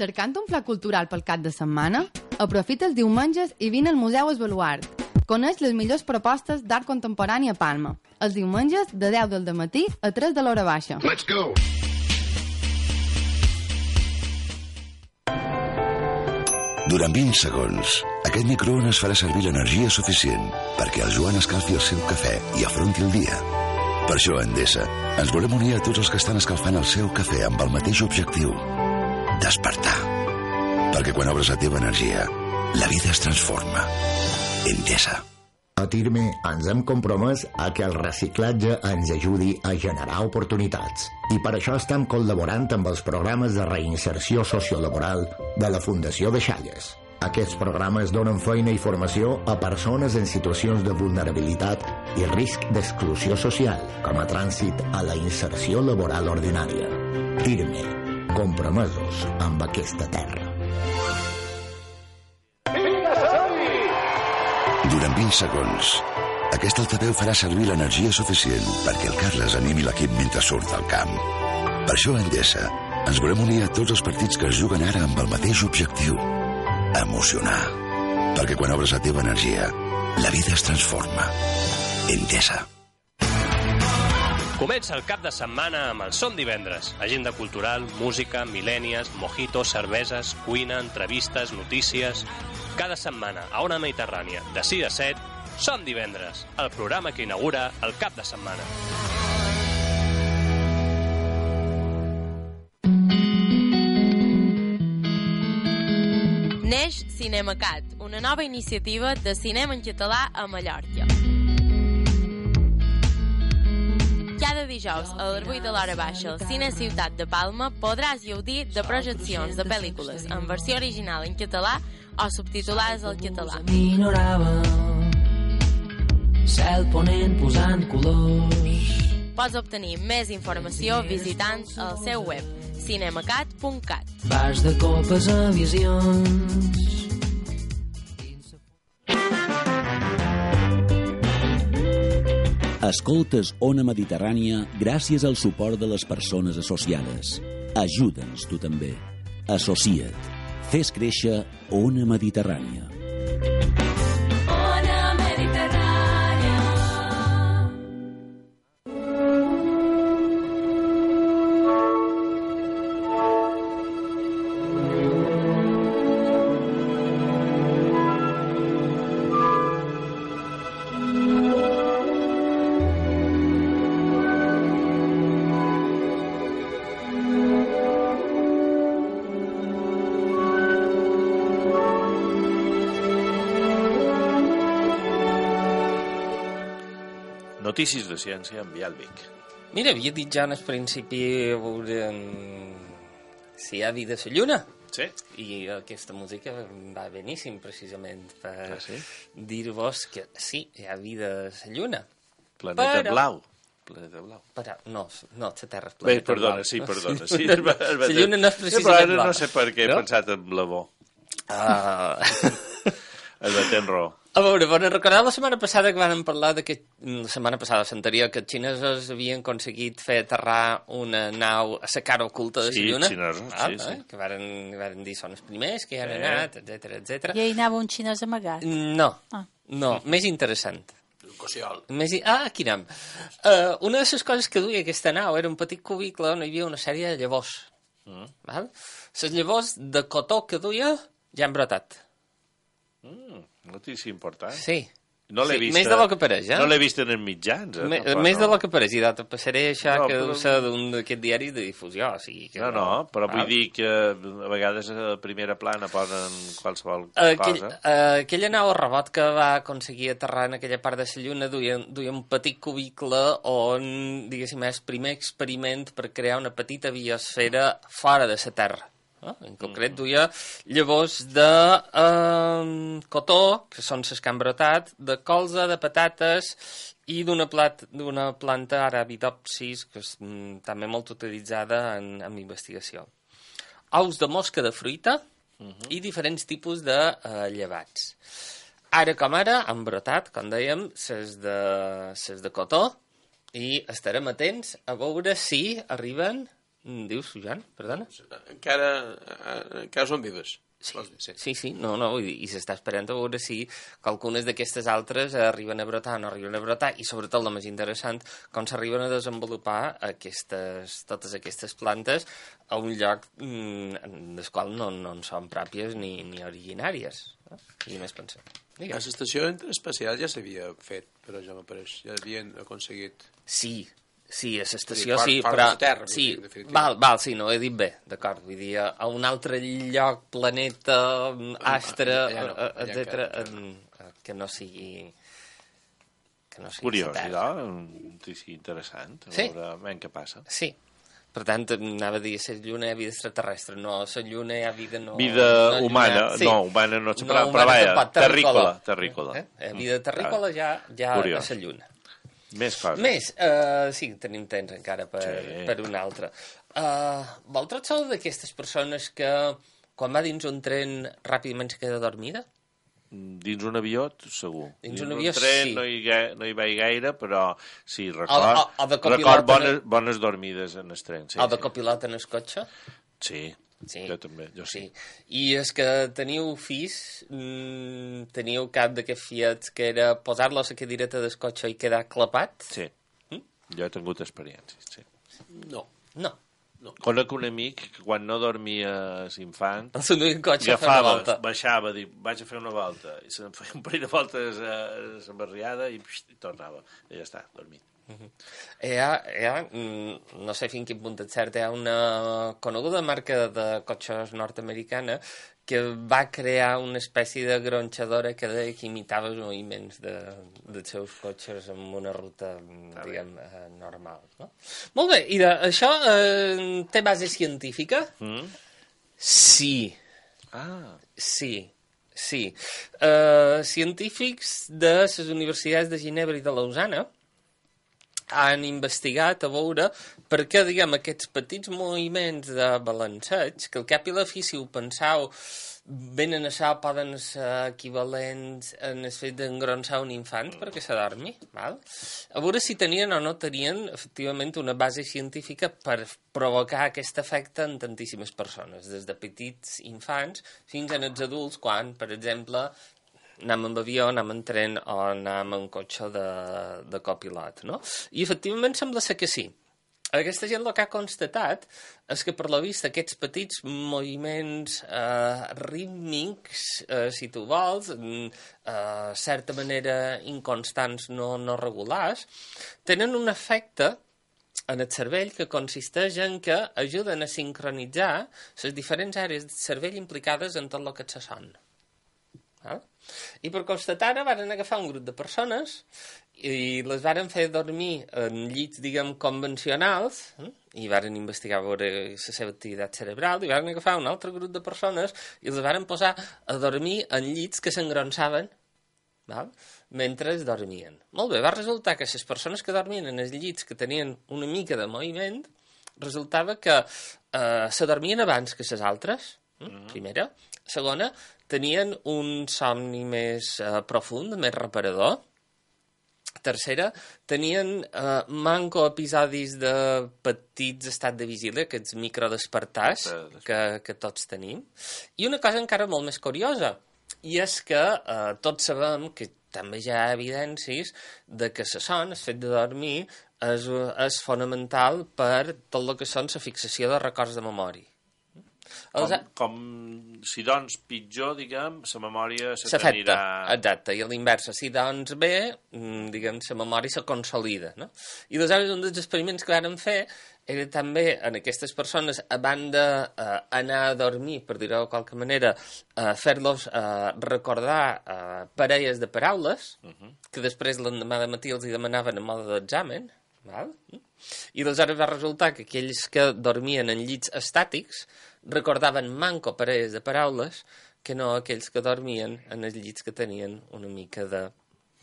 Cercant un pla cultural pel cap de setmana? Aprofita els diumenges i vine al Museu Esbaluart. Coneix les millors propostes d'art contemporani a Palma. Els diumenges de 10 del dematí a 3 de l'hora baixa. Let's go! Durant 20 segons, aquest microones farà servir l'energia suficient perquè el Joan escalfi el seu cafè i afronti el dia. Per això, a Endesa, ens volem unir a tots els que estan escalfant el seu cafè amb el mateix objectiu: despertar. Perquè quan obres la teva energia, la vida es transforma. Endesa. A Tirme ens hem compromès a que el reciclatge ens ajudi a generar oportunitats. I per això estem col·laborant amb els programes de reinserció sociolaboral de la Fundació de Xalles. Aquests programes donen feina i formació a persones en situacions de vulnerabilitat i risc d'exclusió social, com a trànsit a la inserció laboral ordinària. Tirme, compromesos amb aquesta terra. Durant 20 segons, aquest altaveu farà servir l'energia suficient perquè el Carles animi l'equip mentre surt al camp. Per això, a Endesa, ens volem unir a tots els partits que es juguen ara amb el mateix objectiu: emocionar. Perquè quan obres la teva energia, la vida es transforma. Endesa. Comença el cap de setmana amb el Som Divendres. Agenda cultural, música, mil·lènies, mojitos, cerveses, cuina, entrevistes, notícies... Cada setmana a Ona Mediterrània, de 6 a 7, Som Divendres, el programa que inaugura el cap de setmana. Neix Cinemacat, una nova iniciativa de cinema en català a Mallorca. Cada dijous a les 8 de l'hora baixa al Cine Ciutat de Palma podràs gaudir de projeccions de pel·lícules en versió original en català o subtitulades al català. Cel ponent posant colors. Pots obtenir més informació visitant el seu web cinemacat.cat. Vas de copes a visions. Escoltes Ona Mediterrània gràcies al suport de les persones associades. Ajuda'ns tu també. Associa't. Fes créixer Ona Mediterrània. Ona Mediterrània. Notícies de ciència amb Bialvic. Mira, havia dit ja en el principi si hi ha vida a la Lluna. Sí. I aquesta música va beníssim, precisament, per dir-vos que sí, hi ha vida a la Lluna. Planeta blau. Planeta blau. Però, no, la Terra és planeta perdona, blau. Sí, perdona. Sí, la Lluna no és precisament blau. No sé per què he pensat en la bo. El batent raó. A veure, recordeu la setmana passada que vam parlar la setmana passada, l'anterior, que els xinesos havien aconseguit fer aterrar una nau a la cara oculta de la Lluna. Sí, xinesos, sí. Que varen dir són els primers que hi han anat, etc. I hi anava un xinès amagat. No, més interessant. Cossiol. Aquí anem. Una de les coses que duia aquesta nau era un petit cubicle on hi havia una sèrie de llavors. Les llavors de cotó que duia ja han brotat. Notícia important. Sí. No l'he vist. Més de lo que pareix, No l'he vist en els mitjans. Més de lo que pareix. I te passaré això que deu ser d'un d'aquests diaris de difusió. Però vull dir que a vegades a primera plana posen qualsevol cosa. Aquella nau robot que va aconseguir aterrar en aquella part de la Lluna duia un petit cubicle on, diguéssim, és el primer experiment per crear una petita biosfera fora de la Terra. En concret duia llavors de cotó, que són les que han brotat, de colza, de patates i d'una planta Arabidopsis, que és també molt utilitzada en investigació. Ous de mosca de fruita i diferents tipus de llevats. Ara com ara han brotat, com dèiem, ses de cotó i estarem atents a veure si arriben... Dius, Joan? Perdona? Encara són vives. Sí, no, vull dir, i s'està esperant a veure si qualcunes d'aquestes altres arriben a brotar o no arriben a brotar, i sobretot el més interessant, com s'arriben a desenvolupar totes aquestes plantes a un lloc del qual no en són pròpies ni originàries. I més pensar. A l'estació espacial ja s'havia fet, però ja m'apareix, ja havien aconseguit... Sí, a l'estació sí, però... Sí, sí, no, he dit bé, d'acord. Vull dir, a un altre lloc, planeta, astre, etc., que no sigui... Curiós, sí, interessant. A veure què passa. Sí. Per tant, anava a dir, a la Lluna hi ha vida extraterrestre. No, a la Lluna hi ha vida... Vida humana. No, humana no s'ha però vaja, terrícola. Vida terrícola ja a la Lluna. Més coses. Sí, tenim temps encara per una altra. Vosaltres sou d'aquestes persones que quan va dins un tren ràpidament se queda dormida? Dins un avió, segur. Dins un avió, tren, sí. No hi vaig gaire, però sí, record bones dormides en el tren. O de copilot en el cotxe? Sí. Jo també, jo sí. I és que teniu fills, teniu cap d'aquests fiets que era posar-lo a la cadireta del cotxe i quedar clapat? Sí, jo he tingut experiències, sí. No. Conec un amic que quan no dormia l'infant agafava, baixava, vaig a fer una volta, i se'n feia un parell de voltes a la barriada i tornava, i ja està, dormit. No sé fins quin punt és cert, hi ha una coneguda marca de cotxes nord-americana que va crear una espècie de gronxadora que imitava els moviments dels seus cotxes en una ruta, diguem, normal. No? Molt bé, i això té base científica? Sí. Sí. Científics de les universitats de Ginebra i de Lausana han investigat a veure per què, diguem, aquests petits moviments de balanceig, que al cap i la fi, si ho penseu, venen a això, poden ser equivalents en el fet d'engronsar un infant perquè s'adormi, val? A veure si tenien o no tenien, efectivament, una base científica per provocar aquest efecte en tantíssimes persones, des de petits infants fins als adults, quan, per exemple, anem amb avió, anem en tren o anem en cotxe de copilot, no? I efectivament sembla ser que sí. Aquesta gent el que ha constatat és que, per la vista, aquests petits moviments rítmics, si tu vols, certa manera inconstants, no regulars, tenen un efecte en el cervell que consisteix en que ajuden a sincronitzar les diferents àrees del cervell implicades en tot el que és el son. I per constatar-ho van agafar un grup de persones i les varen fer dormir en llits, diguem, convencionals, i varen investigar a veure la seva activitat cerebral, i varen agafar un altre grup de persones i les varen posar a dormir en llits que s'engronssaven, mentre es dormien. Molt bé, va resultar que les persones que dormien en els llits que tenien una mica de moviment, resultava que s'adormien abans que les altres, Primera. Segona, tenien un somni més profund, més reparador. Tercera, tenien manco episodis de petits estats de vigília, aquests microdespertars que tots tenim. I una cosa encara molt més curiosa, i és que tots sabem que també hi ha evidències de que la son, el fet de dormir, és fonamental per tot el que són la fixació de records de memòria. Com si doncs pitjor, diguem, la memòria s'afecta. Exacte, i a l'inversa, si doncs bé, diguem, la memòria se consolida, no? I aleshores un dels experiments que vam fer era també en aquestes persones, a banda d'anar a dormir, per dir-ho de qualque manera, fer-los recordar parelles de paraules, que després l'endemà de matí els hi demanaven en mode d'examen, val? I aleshores va resultar que aquells que dormien en llits estàtics recordaven manco parelles de paraules que no aquells que dormien en els llits que tenien una mica de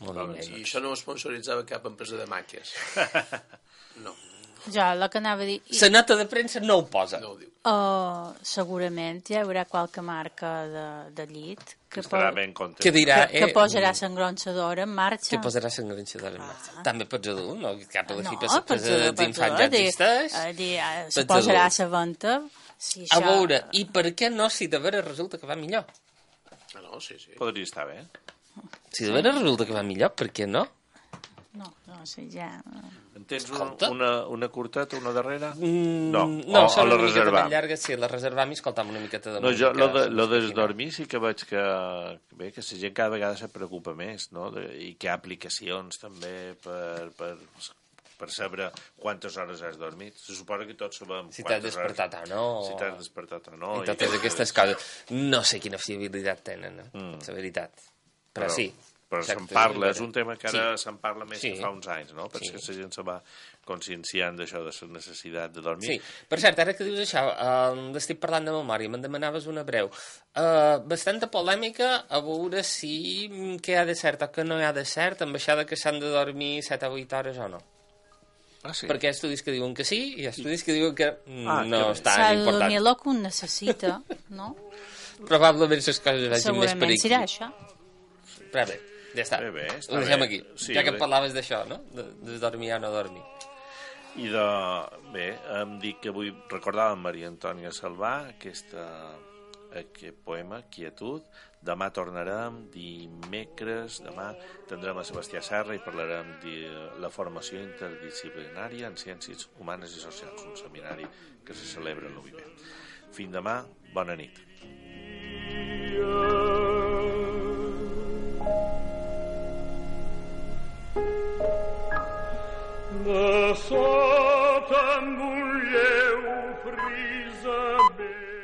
moviment. I això no ho sponsoritzava cap empresa de màquies. No. Jo, el que anava a dir... La nota de premsa no ho posa. No ho diu. Segurament hi haurà qualque marca de llit que dirà, que posarà l'engronxadora en marxa. Que posarà l'engronxadora en marxa. També pots dur, no? Cap a la fipa dels infants ja existeix. Se posarà a la venda. A veure, i per què no si de veres resulta que va millor? No, sí. Podria estar bé. Si de veres resulta que va millor, per què no? No sé, ja... En tens una curteta, una darrera? No, o la reservam? Llarga, sí, la reservam i escoltam una miqueta de música. No, jo, lo de dormir sí que veig que la gent cada vegada se preocupa més, no? I que hi ha aplicacions també per saber quantes hores has dormit. Se suposa que tots sabem si t'has despertat o no. Si t'has despertat o no. I totes aquestes coses. No sé quina fiabilitat tenen, la veritat. Però sí. Però se'n parla, és un tema que ara se'n parla més que fa uns anys, no? Perquè la gent se va conscienciant d'això, de la necessitat de dormir. Sí, per cert, ara que dius això, estic parlant de memòria, me'n demanaves una breu. Bastanta polèmica a veure si què hi ha de cert o què no hi ha de cert amb això que s'han de dormir 7 o 8 hores o no. Sí. Perquè hi ha estudis que diuen que sí i hi ha estudis que diuen que no és tan important. S'ha de dormir el que un necessita, no? Probablement les coses vagin més per aquí. Segurament serà això. Però bé, ja està. Ho deixem aquí. Sí, ja que parlaves d'això, no? De dormir o no dormir. I em dic que avui recordàvem Maria Antònia Salvà, aquest poema, Quietud. Demà tornarem, dimecres, demà tindrem a Sebastià Serra i parlarem de la formació interdisciplinària en ciències humanes i socials, un seminari que se celebra a l'UIB. Fins demà, bona nit. De sota amb un lleu frisament